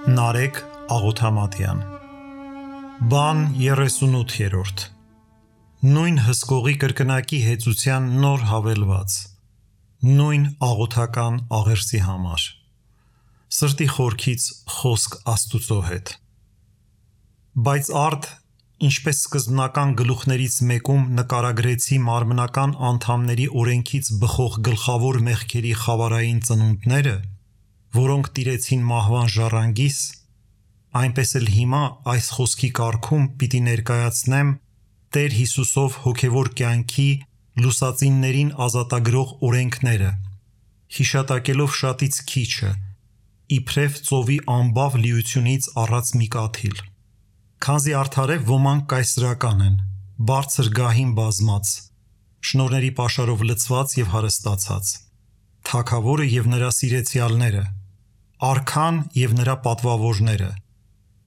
Նարեկ Աղոթամատյան Բան 38-րդ Նույն հսկողի կրկնակի հեծության նոր հավելված Նույն աղոթական աղերսի համար Սրտի խորքից խոսք Աստուծո հետ Բայց արդ, ինչպես սկզբնական գլուխներից մեկում նկարագրեցի մարմնական անդամների օրենքից բխող գլխավոր մեղքերի խավարային ծնունդները, որոնք տիրեցին մահվան ժառանգիս, այնպես էլ հիմա այս խոսքի կարգում պիտի ներկայացնեմ Տեր Հիսուսով հոգևոր կյանքի լուսածիններին ազատագրող օրենքները, հիշատակելով շատից քիչը, իբրև ծովի անբավ լիությունից առած մի կաթիլ։ Քանզի արդարև ոմանք կայսրական են, բարձր գահին բազմած, շնորհների պաշարով լցված եւ հարստացած, թագավորը եւ նրա սիրեցյալները, արքան եւ նրա պատվավորները,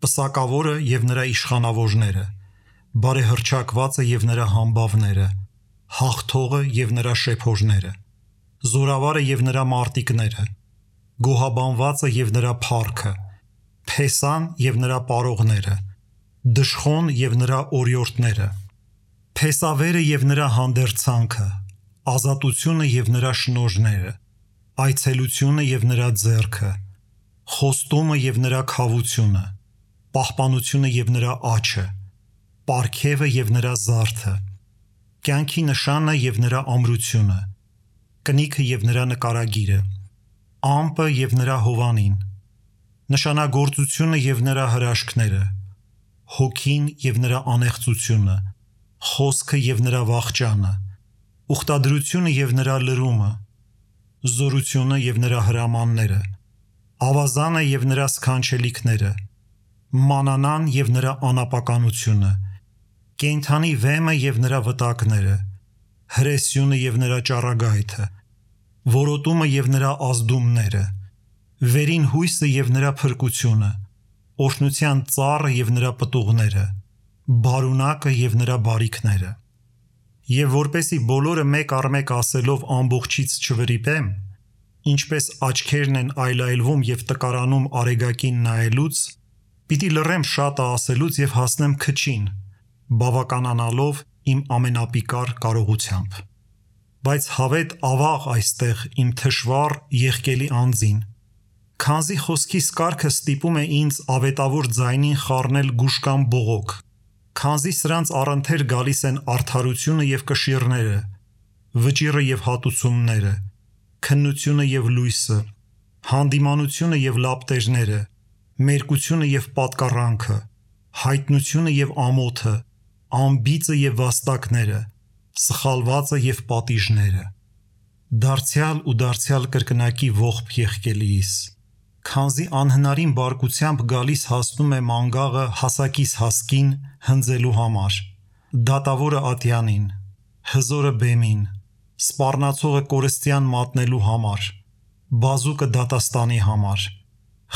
պսակավորը եւ նրա իշխանավորները, բարեհռչակվածը եւ նրա համբավները, հաղթողը եւ նրա շեփորները, զորավարը եւ նրա մարտիկները, գոհաբանվածը եւ նրա փառքը, փեսան եւ նրա պարողները, դժխոն եւ նրա օրիորդները, փեսավերը եւ նրա հանդերձանքը, ազատությունը եւ նրա շնորհները, այցելությունը եւ նրա ձեռքը, խոստումը եւ նրա քավությունը, պահպանությունը եւ նրա աչը, պարգևը եւ նրա զարդը, կյանքի նշանը եւ նրա ամրությունը, կնիքը եւ նրա նկարագիրը, ամպը եւ նրա հովանին, նշանագործությունը եւ նրա հրաշքները, հոգին եւ նրա անեղծությունը, խոսքը եւ նրա վախճանը, ուխտադրությունը եւ նրա լրումը, զորությունը եւ նրա հրամանները, ավազանը եւ նրա սքանչելիքները, մանանան եւ նրա անապականությունը, կենդանի վեմը եւ նրա վտակները, հրեսյունը եւ նրա ճառագայթը, որոտումը եւ նրա ազդումները, վերին հույսը եւ նրա փրկությունը, օրհնության ծառը եւ նրա պտուղները, բարունակը եւ նրա բարիքները։ Եվ որպեսի բոլորը մեկ առ մեկ ասելով ամբողջից չվրիպեմ, ինչպես աչքերն են այլայլվում եւ տկարանում արեգակին նայելուց, պիտի լռեմ շատը ասելուց եւ հասնեմ քչին, բավականանալով իմ ամենապիկար կարողությամբ։ Բայց հավետ ավաղ այստեղ իմ թշվառ եղկելի անձին, քանզի խոսքիս կարգը ստիպում է ինձ ավետավոր ձայնին խառնել գուշկան բողոք, քանզի սրանց առընթեր գալիս են արդարությունը եւ կշիռները, վճիռը եւ հատուցումները, քննությունը եւ լույսը, հանդիմանությունը եւ լապտերները, մերկությունը եւ պատկառանքը, հայտնությունը եւ ամոթը, ամբիծը եւ վաստակները, սխալվածը եւ պատիժները։ Դարձյալ ու դարձյալ կրկնակի ողբ եղկելիս, քանզի անհնարին բարկությամբ գալիս հասնում է մանգաղը հասակիս հասկին հնձելու համար, դատավորը ատյանին, հզորը բեմին, սպառնացողը կորստյան մատնելու համար, բազուկը դատաստանի համար,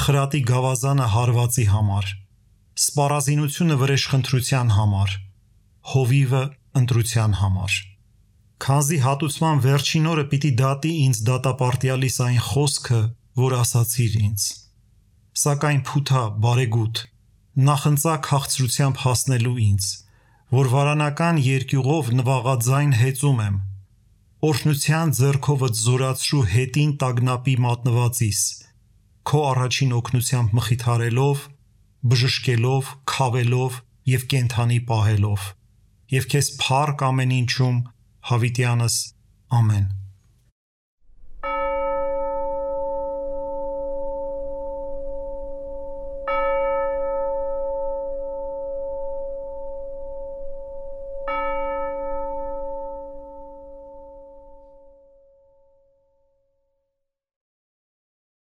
խրատի գավազանը հարվածի համար, սպառազինությունը վրեժխնդրության համար, հովիվը ընտրության համար։ Քանզի հատուցման վերջին օրը պիտի դատի ինձ դատապարտյալիս այն խոսքը, որ ասացիր ինձ։ Սակայն փութա բարեգութ, նախընծա քաղցրությամբ հասնելու ինձ, որ վարանական երկյուղով նվաղաձայն հեծում եմ, օրհնության ձեռքովդ զորացրու հետին տագնապի մատնվածիս, քո առաջին օգնությամբ մխիթարելով, բժշկելով, քավելով եւ կենդանի պահելով, եւ քեզ փառք ամեն ինչում, հավիտյանս, ամեն։